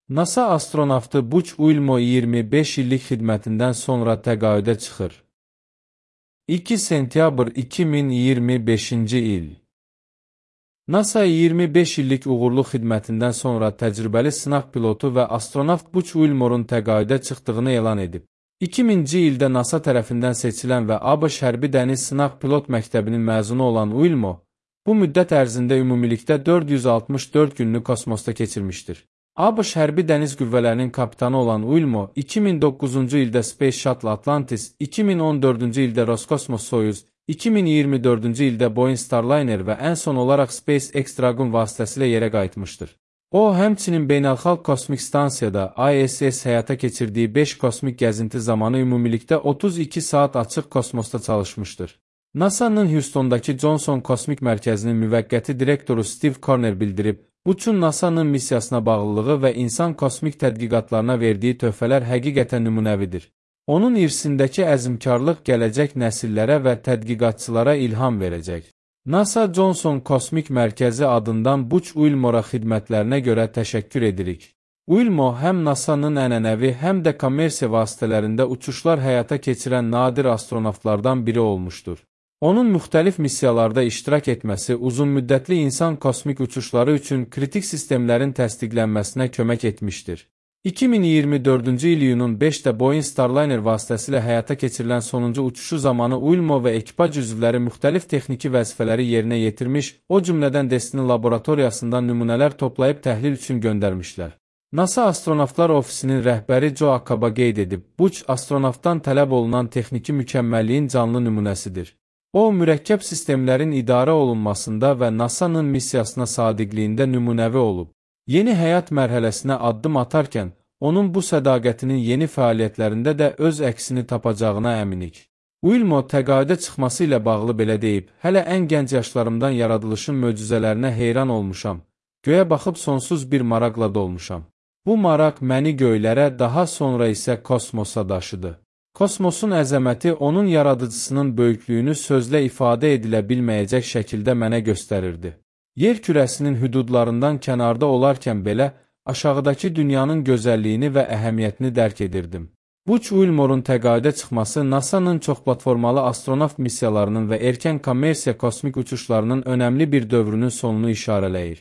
NASA astronavtı Buzz Wilmot 25 illik xidmətindən sonra təqaüdə çıxır. 2 sentyabr 2025-ci il. NASA 25 illik uğurlu xidmətindən sonra təcrübəli sınaq pilotu və astronavt Buzz Wilmot'un təqaüdə çıxdığını elan edib. 2000-ci ildə NASA tərəfindən seçilən və ABŞ Hərbi Dəniz Sınaq Pilot Məktəbinin məzunu olan Wilmot, bu müddət ərzində ümumilikdə 464 gününü kosmosda keçirmişdir. ABŞ Hərbi Dəniz Qüvvələrinin kapitanı olan Wilmot, 2009-cu ildə Space Shuttle Atlantis, 2014-cü ildə Roskosmos Soyuz, 2024-cü ildə Boeing Starliner və ən son olaraq SpaceX Dragon vasitəsilə yerə qayıtmışdır. O, həmçinin Beynəlxalq Kosmik Stansiyada ISS həyata keçirdiyi 5 kosmik gəzinti zamanı ümumilikdə 32 saat açıq kosmosda çalışmışdır. NASA-nın Houston'dakı Johnson Kosmik Mərkəzinin müvəqqəti direktoru Steve Corner bildirib, Buzz'un NASA-nın missiyasına bağlılığı və insan kosmik tədqiqatlarına verdiyi töhfələr həqiqətən nümunəvidir. Onun irsindəki əzmkarlıq gələcək nəsillərə və tədqiqatçılara ilham verəcək. NASA Johnson Kosmik Mərkəzi adından Buzz Wilmot'a xidmətlərinə görə təşəkkür edirik. Wilmot həm NASA-nın ənənəvi, həm də kommersiya vasitələrində uçuşlar həyata keçirən nadir astronavtlardan biri olmuşdur. Onun müxtəlif missiyalarda iştirak etməsi uzunmüddətli insan kosmik uçuşları üçün kritik sistemlərin təsdiqlənməsinə kömək etmişdir. 2024-cü il iyunun 5-də Boeing Starliner vasitəsilə həyata keçirilən sonuncu uçuşu zamanı Wilmot və ekipaj üzvləri müxtəlif texniki vəzifələri yerinə yetirmiş, o cümlədən Destiny laboratoriyasından nümunələr toplayıb təhlil üçün göndərmişlər. NASA Astronavtlar Ofisinin rəhbəri Joe Acaba qeyd edib, Buzz astronavtdan tələb olunan texniki mükəmməlliyin canlı nümunəsidir. O, mürəkkəb sistemlərin idarə olunmasında və NASA-nın missiyasına sadiqliyində nümunəvi olub. Yeni həyat mərhələsinə addım atarkən, onun bu sədaqətinin yeni fəaliyyətlərində də öz əksini tapacağına əminik. Wilmot təqaüdə çıxması ilə bağlı belə deyib, hələ ən gənc yaşlarımdan yaradılışın möcüzələrinə heyran olmuşam, göyə baxıb sonsuz bir maraqla dolmuşam. Bu maraq məni göylərə, daha sonra isə kosmosa daşıdı. Kosmosun əzəməti onun yaradıcısının böyüklüyünü sözlə ifadə edilə bilməyəcək şəkildə mənə göstərirdi. Yer kürəsinin hüdudlarından kənarda olarkən belə, aşağıdakı dünyanın gözəlliyini və əhəmiyyətini dərk edirdim. Buzz Wilmot'un təqaüdə çıxması NASA-nın çoxplatformalı astronavt missiyalarının və erkən kommersiya kosmik uçuşlarının önəmli bir dövrünün sonunu işarələyir.